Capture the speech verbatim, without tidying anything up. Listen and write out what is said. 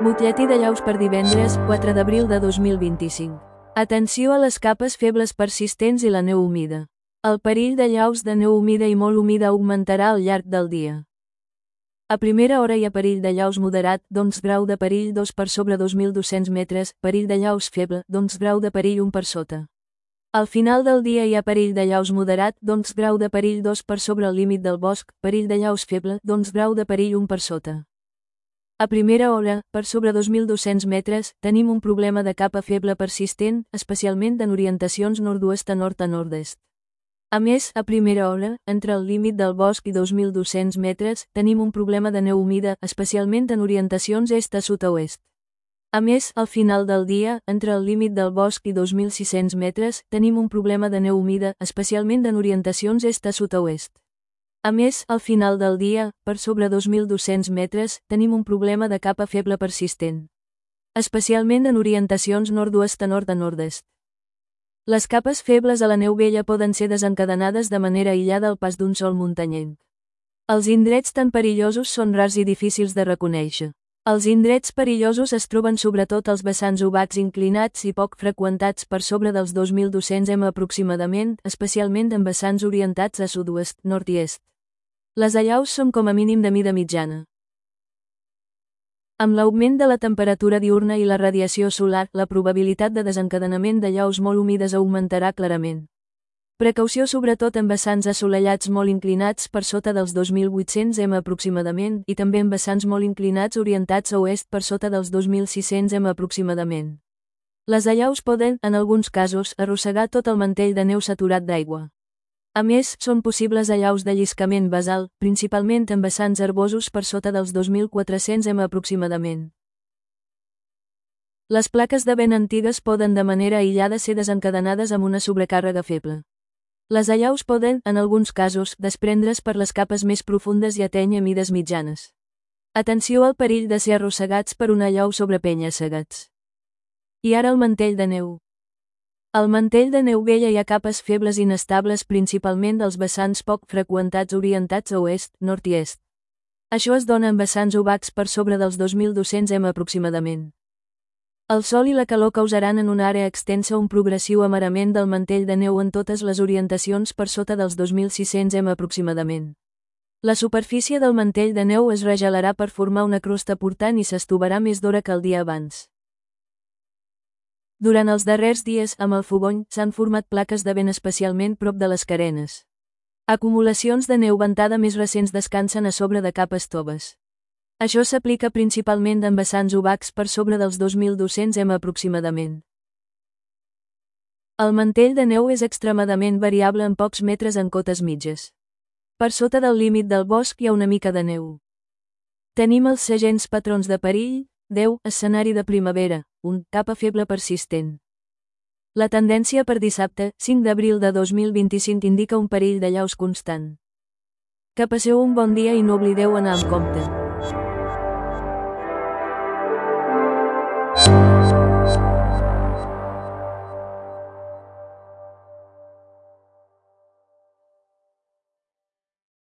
Butlletí de llaus per divendres, quatre d'abril de dos mil vint-i-cinc. Atenció a les capes febles persistents i la neu humida. El perill de llaus de neu humida i molt humida augmentarà al llarg del dia. A primera hora hi ha perill de llaus moderat, doncs grau de perill dos per sobre dos mil dos-cents metres, perill de llaus feble, doncs grau de perill un per sota. Al final del dia hi ha perill de llaus moderat, doncs grau de perill dos per sobre el límit del bosc, perill de llaus feble, doncs grau de perill un per sota. A primera hora, per sobre dos mil dos-cents metres, tenim un problema de capa feble persistent, especialment en orientacions nord-oest a nord a nord-est. A més, a primera hora, entre el límit del bosc i dos mil dos-cents metres, tenim un problema de neu humida, especialment en orientacions est a sud a oest. A més, al final del dia, entre el límit del bosc i dos mil sis-cents metres, tenim un problema de neu humida, especialment en orientacions est a sud a oest. A més, al final del dia, per sobre dos mil dos-cents metres, tenim un problema de capa feble persistent, especialment en orientacions nord-oest a nord a nord-est. Les capes febles a la neu vella poden ser desencadenades de manera aïllada al pas d'un sol muntanyenc. Els indrets tan perillosos són rars i difícils de reconèixer. Els indrets perillosos es troben sobretot als vessants obacs inclinats i poc freqüentats per sobre dels dos mil dos-cents metres aproximadament, especialment en vessants orientats a sud-oest, nord i est. Les allaus són com a mínim de mida mitjana. Amb l'augment de la temperatura diürna i la radiació solar, la probabilitat de desencadenament d'allaus molt humides augmentarà clarament. Precaució sobretot en vessants assolellats molt inclinats per sota dels dos mil vuit-cents metres aproximadament i també en vessants molt inclinats orientats a oest per sota dels dos mil sis-cents metres aproximadament. Les allaus poden, en alguns casos, arrossegar tot el mantell de neu saturat d'aigua. A més, són possibles allaus de lliscament basal, principalment en vessants herbosos per sota dels dos mil quatre-cents metres aproximadament. Les plaques de vent antigues poden de manera aïllada ser desencadenades amb una sobrecàrrega feble. Les allaus poden, en alguns casos, desprendre's per les capes més profundes i atènyer mides mitjanes. Atenció al perill de ser arrossegats per una allau sobre penya-segats. I ara el mantell de neu. Al mantell de neu vella hi ha capes febles inestables principalment dels vessants poc freqüentats orientats a oest, nord i est. Això es dona en vessants obacs per sobre dels dos mil dos-cents metres aproximadament. El sol i la calor causaran en una àrea extensa un progressiu amarament del mantell de neu en totes les orientacions per sota dels dos mil sis-cents metres aproximadament. La superfície del mantell de neu es regelarà per formar una crosta portant i s'estovarà més d'hora que el dia abans. Durant els darrers dies, amb el fogony, s'han format plaques de vent especialment prop de les carenes. Acumulacions de neu ventada més recents descansen a sobre de capes toves. Això s'aplica principalment en vessants obacs per sobre dels dos mil dos-cents metres aproximadament. El mantell de neu és extremadament variable en pocs metres en cotes mitges. Per sota del límit del bosc hi ha una mica de neu. Tenim els segents patrons de perill, deu, escenari de primavera, un, capa feble persistent. La tendència per dissabte, cinc d'abril de dos mil vint-i-cinc indica un perill d'allaus constant. Que passeu un bon dia i no oblideu anar amb compte.